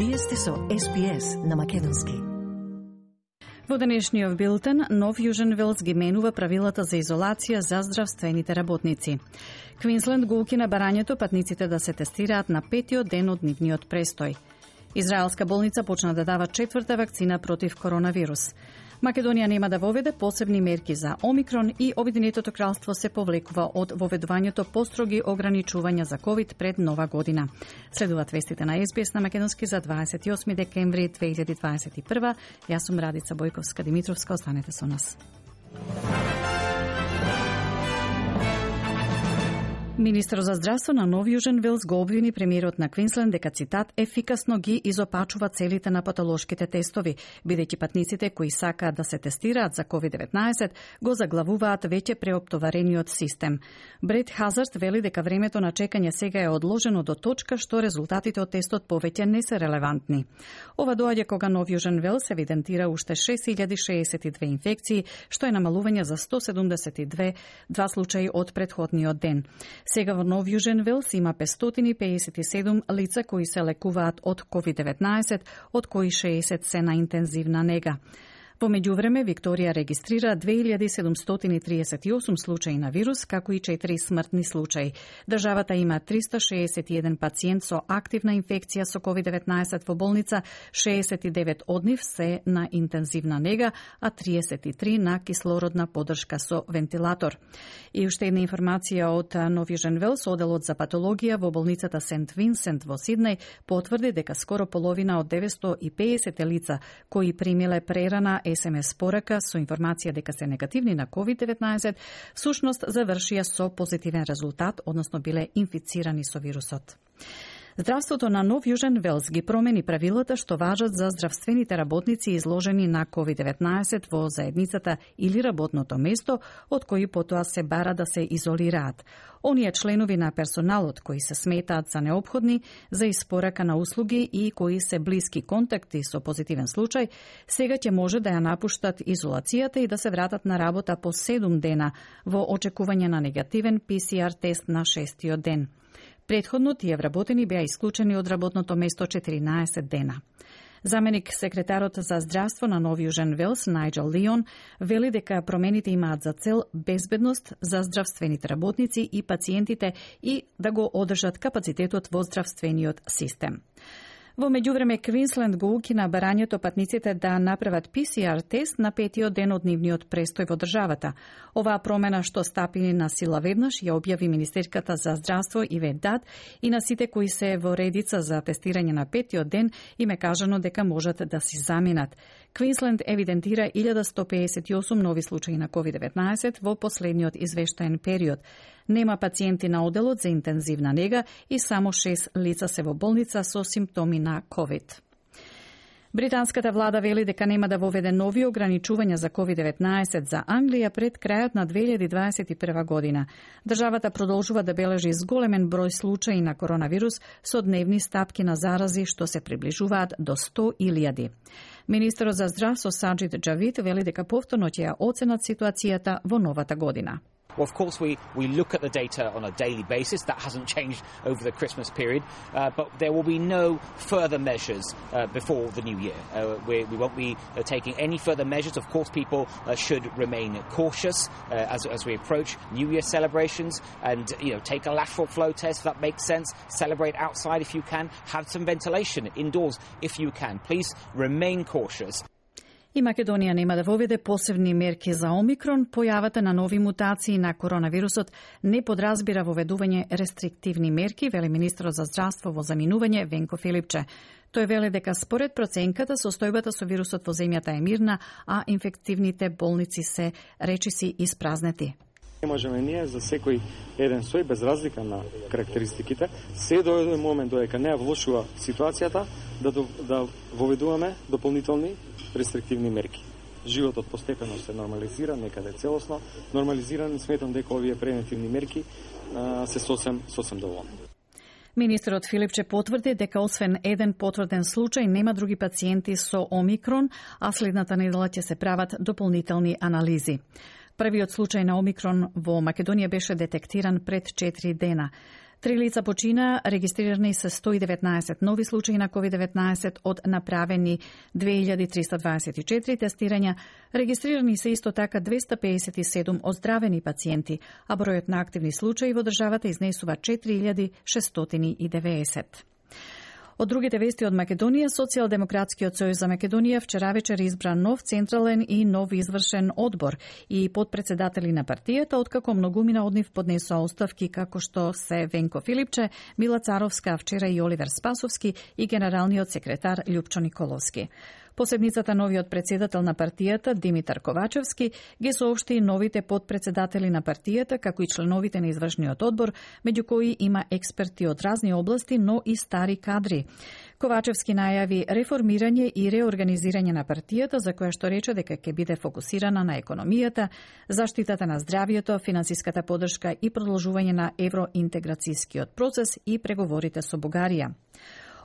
Вие сте со СПС на македонски. Во денешниот билтен, Нов Јужен Велс ги менува правилата за изолација за здравствените работници. Квинсленд го укина барањето патниците да се тестираат на 5-тиот ден од нивниот престој. Израелска болница почна да дава 4-та вакцина против коронавирус. Македонија нема да воведе посебни мерки за Омикрон и Обединетото кралство се повлекува од воведувањето построги ограничувања за ковид пред Нова година. Следуваат вестите на СБС на македонски за 28 декември 2021. Јас сум Радица Бојковска-Димитровска, останете со нас. Министерот за здравство на Нов Јужен Велс го обвини премиерот на Квинсленд дека, цитат, ефикасно ги изопачува целите на патолошките тестови, бидејќи патниците кои сакаат да се тестираат за COVID-19 го заглавуваат веќе преоптоварениот систем. Бред Хазард вели дека времето на чекање сега е одложено до точка што резултатите од тестот повеќе не се релевантни. Ова доаѓа кога Нов Јужен Велс евидентира уште 6062 инфекции, што е намалување за 172 случаи од претходниот ден. Сега во Нов Јужен Велс има 557 лица кои се лекуваат од COVID-19, од кои 60 се на интензивна нега. Во меѓувреме, Викторија регистрира 2738 случаи на вирус, како и 4 смртни случаи. Државата има 361 пациент со активна инфекција со COVID-19 во болница, 69 од нив се на интензивна нега, а 33 на кислородна поддршка со вентилатор. И уште една информација од Нов Јужен Велс, оделот за патологија во болницата Сент Винсент во Сиднеј потврди дека скоро половина од 950 лица кои примиле прерана СМС порака со информација дека се негативни на COVID-19, всушност завршија со позитивен резултат, односно биле инфицирани со вирусот. Здравството на Нов Јужен Велс ги промени правилата што важат за здравствените работници изложени на COVID-19 во заедницата или работното место, од кои потоа се бара да се изолираат. Оние членови на персоналот кои се сметаат за неопходни за испорака на услуги и кои се блиски контакти со позитивен случај, сега ќе може да ја напуштат изолацијата и да се вратат на работа по 7 дена во очекување на негативен PCR тест на 6-тиот ден. Предходно тие вработени беа исклучени од работното место 14 дена. Заменик секретарот за здравство на Нов Јужен Велс, Најджел Лион, вели дека промените имаат за цел безбедност за здравствените работници и пациентите и да го одржат капацитетот во здравствениот систем. Во меѓувреме, Квинсленд го укина барањето патниците да направат PCR тест на 5-тиот ден од нивниот престој во државата. Оваа промена што стапи на сила веднаш ја објави Министерката за здравство Ивет Дат и на сите кои се во редица за тестирање на 5-тиот ден им е кажано дека можат да си заминат. Квинсленд евидентира 1158 нови случаи на COVID-19 во последниот извештаен период. Нема пациенти на оделот за интензивна нега и само 6 лица се во болница со симптоми на COVID. Британската влада вели дека нема да воведе нови ограничувања за COVID-19 за Англија пред крајот на 2021 година. Државата продолжува да бележи зголемен број случаи на коронавирус со дневни стапки на зарази што се приближуваат до 100.000. Министерот за здравство Саџид Џавид вели дека повторно ќе ја оценат ситуацијата во новата година. Well, of course, we look at the data on a daily basis. That hasn't changed over the Christmas period. But there will be no further measures before the new year. We won't be taking any further measures. Of course, people should remain cautious as we approach New Year celebrations and, take a lateral flow test if that makes sense. Celebrate outside if you can. Have some ventilation indoors if you can. Please remain cautious. И Македонија нема да воведе посебни мерки за Омикрон. Појавата на нови мутации на коронавирусот не подразбира воведување рестриктивни мерки, вели министерот за здравство во заминување Венко Филипче. Тој вели дека според проценката состојбата со вирусот во земјата е мирна, а инфективните болници се речиси испразнети. Не можеме ние за секој еден сој, без разлика на карактеристиките, се до еден момент додека не ја влошува ситуацијата, да воведуваме дополнителни рестриктивни мерки. Животот постепено се нормализира, некаде целосно нормализиран, сметам дека овие превентивни мерки се сосем доволни. Министерот Филипче потврди дека освен еден потврден случај нема други пациенти со Омикрон, а следната недела ќе се прават дополнителни анализи. Првиот случај на Омикрон во Македонија беше детектиран пред 4 дена. 3 лица почина, регистрирани се 119 нови случаи на COVID-19 од направени 2324 тестирања, регистрирани се исто така 257 оздравени пациенти, а бројот на активни случаи во државата изнесува 4690. Од другите вести од Македонија, Социјалдемократскиот сојуз за Македонија вчера вечер избра нов централен и нов извршен одбор и подпредседатели на партијата, откако многумина од нив поднесоа оставки како што се Венко Филипче, Мила Царовска, вчера и Оливер Спасовски и генералниот секретар Љупчо Николовски. По седницата новиот председател на партијата Димитар Ковачевски ги соопшти новите подпредседатели на партијата, како и членовите на извршниот одбор, меѓу кои има експерти од разни области, но и стари кадри. Ковачевски најави реформирање и реорганизирање на партијата, за која што рече дека ќе биде фокусирана на економијата, заштитата на здравјето, финансиската поддршка и продолжување на евроинтеграцијскиот процес и преговорите со Бугарија.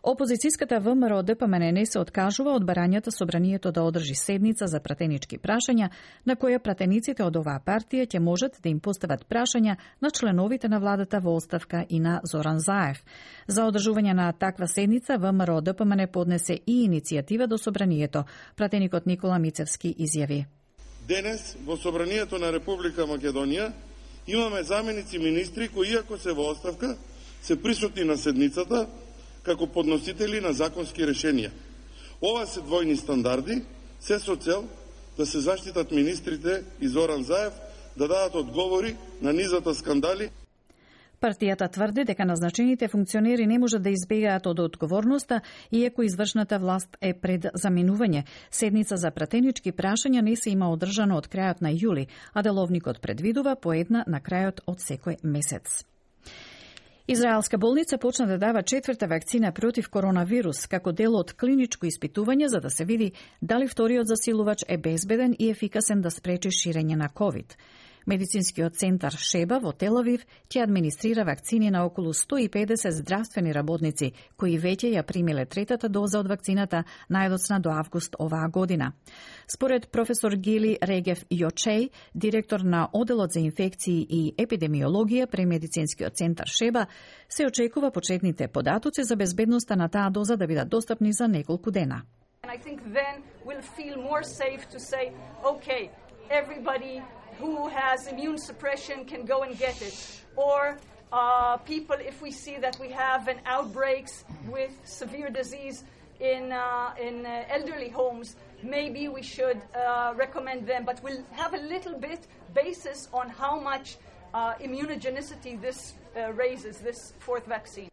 Опозицијската ВМРО ДПМН се откажува од барањата собранието да одржи седница за пратенички прашања, на која пратениците од оваа партија ќе можат да им постават прашања на членовите на владата во оставка и на Зоран Заев. За одржување на таква седница ВМРО ДПМН поднесе и иницијатива до собранието. Пратеникот Никола Мицевски изјави: Денес во собранието на Република Македонија имаме заменици министри кои, иако се во оставка, се присутни на седницата како подносители на законски решенија. Ова се двојни стандарди, се со цел да се заштитат министрите и Зоран Заев да дадат одговори на низата скандали. Партијата тврди дека назначените функционери не можат да избегаат од одговорноста, иако извршната власт е пред заминување. Седница за пратенички прашања не се има одржана од крајот на јули, а деловникот предвидува по една на крајот од секој месец. Израелска болница почна да дава четврта вакцина против коронавирус како дел од клиничко испитување за да се види дали вториот засилувач е безбеден и ефикасен да спречи ширење на ковид. Медицинскиот центар Шеба во Тел Авив ќе администрира вакцини на околу 150 здравствени работници, кои веќе ја примиле третата доза од вакцината најдоцна до август оваа година. Според професор Гили Регев Јочеј, директор на Оделот за инфекции и епидемиологија при Медицинскиот центар Шеба, се очекува почетните податоци за безбедноста на таа доза да бидат достапни за неколку дена. I think then we'll feel more safe to say, okay, everybody who has immune suppression can go and get it. Or people, if we see that we have an outbreaks with severe disease in elderly homes, maybe we should recommend them. But we'll have a little bit basis on how much immunogenicity this raises, this fourth vaccine.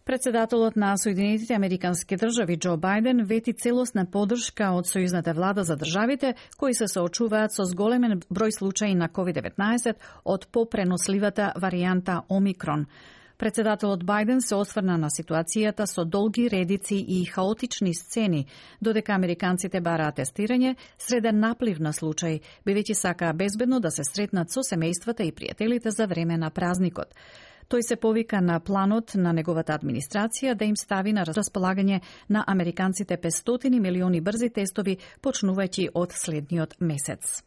Председателот на Соединетите Американски држави Џо Бајден вети целосна поддршка од сојузната влада за државите кои се соочуваат со зголемен број случаи на COVID-19 од попреносливата варијанта Омикрон. Председателот Бајден се осврна на ситуацијата со долги редици и хаотични сцени, додека американците бараат тестирање среде наплив на случаи, бидејќи сакаа безбедно да се сретнат со семејствата и пријателите за време на празникот. Тој се повика на планот на неговата администрација да им стави на располагање на американците 500 милиони брзи тестови, почнувајќи од следниот месец.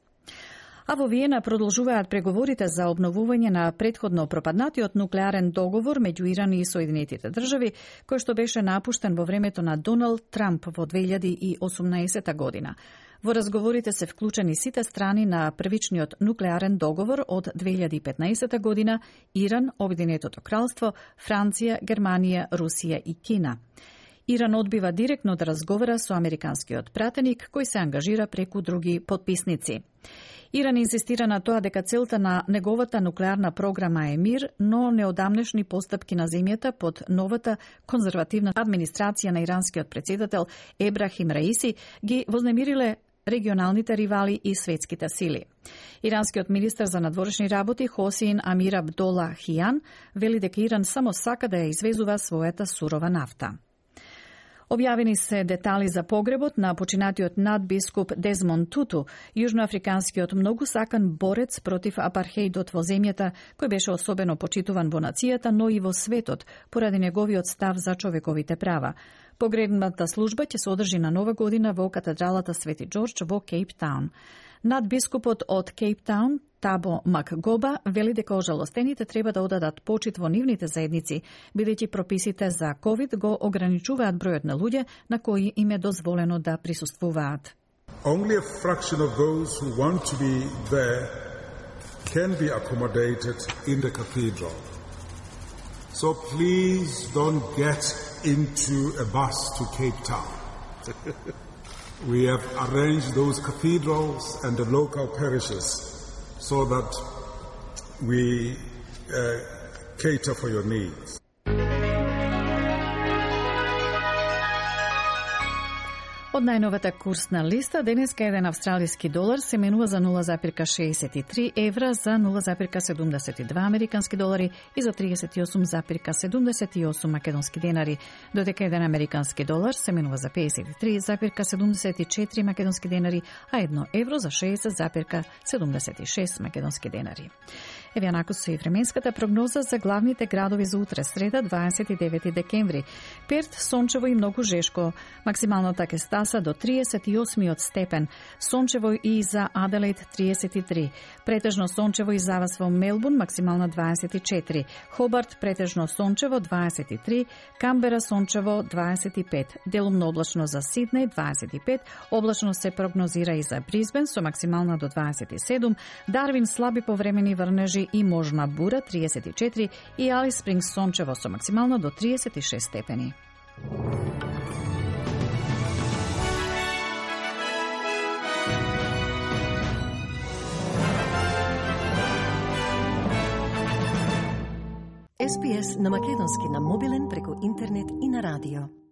А во Виена продолжуваат преговорите за обновување на претходно пропаднатиот нуклеарен договор меѓу Иран и Соединетите држави, кој што беше напуштен во времето на Доналд Трамп во 2018 година. Во разговорите се вклучени сите страни на првичниот нуклеарен договор од 2015 година: Иран, Обединетото кралство, Франција, Германија, Русија и Кина. Иран одбива директно да разговара со американскиот пратеник, кој се ангажира преку други потписници. Иран инсистира на тоа дека целта на неговата нуклеарна програма е мир, но неодамнешни постапки на земјата под новата конзервативна администрација на иранскиот председател Ебрахим Раиси ги вознемириле регионалните ривали и светските сили. Иранскиот министер за надворешни работи Хосеин Амир Абдола Хијан вели дека Иран само сака да ја извезува својата сурова нафта. Објавени се детали за погребот на починатиот надбискуп Дезмонд Туту, јужноафриканскиот многу сакан борец против апархеидот во земјата, кој беше особено почитуван во нацијата, но и во светот, поради неговиот став за човековите права. Погребната служба ќе се одржи на Нова година во катедралата Свети Џорџ во Кейптаун. Надбискупот од Кейптаун, Табо Макгоба, вели дека ожалостените треба да одадат почит во нивните заедници, бидејќи прописите за ковид го ограничуваат бројот на луѓе на кои им е дозволено да присуствуваат. Only a fraction of those who want to be there can be accommodated in the cathedral. So please don't get into a bus to Cape Town. We have arranged those cathedrals and the local parishes so that we cater for your needs. Од најновата курсна листа, денеска еден австралиски долар се менува за 0,63 евра, за 0,72 американски долари и за 38,78 македонски денари, додека еден американски долар се менува за 53,74 македонски денари, а 1 евро за 60,76 македонски денари. Еве онако со и временската прогноза за главните градови за утре, среда, 29 декември. Перт, сончево и многу жешко. Максималната ќе стаса до 38 степен. Сончево и за Аделаид 33. Претежно сончево и за вас во Мелбурн, максимална 24. Хобарт, претежно сончево 23. Камбера, сончево 25. Делумно облачно за Сиднеј 25. Облачно се прогнозира и за Бризбен со максимална до 27. Дарвин, слаби повремени врнежи и можна бура 34 и Алис Спрингс сончево со максимално до 36 степени. SPS на македонски на мобилен преку интернет и на радио.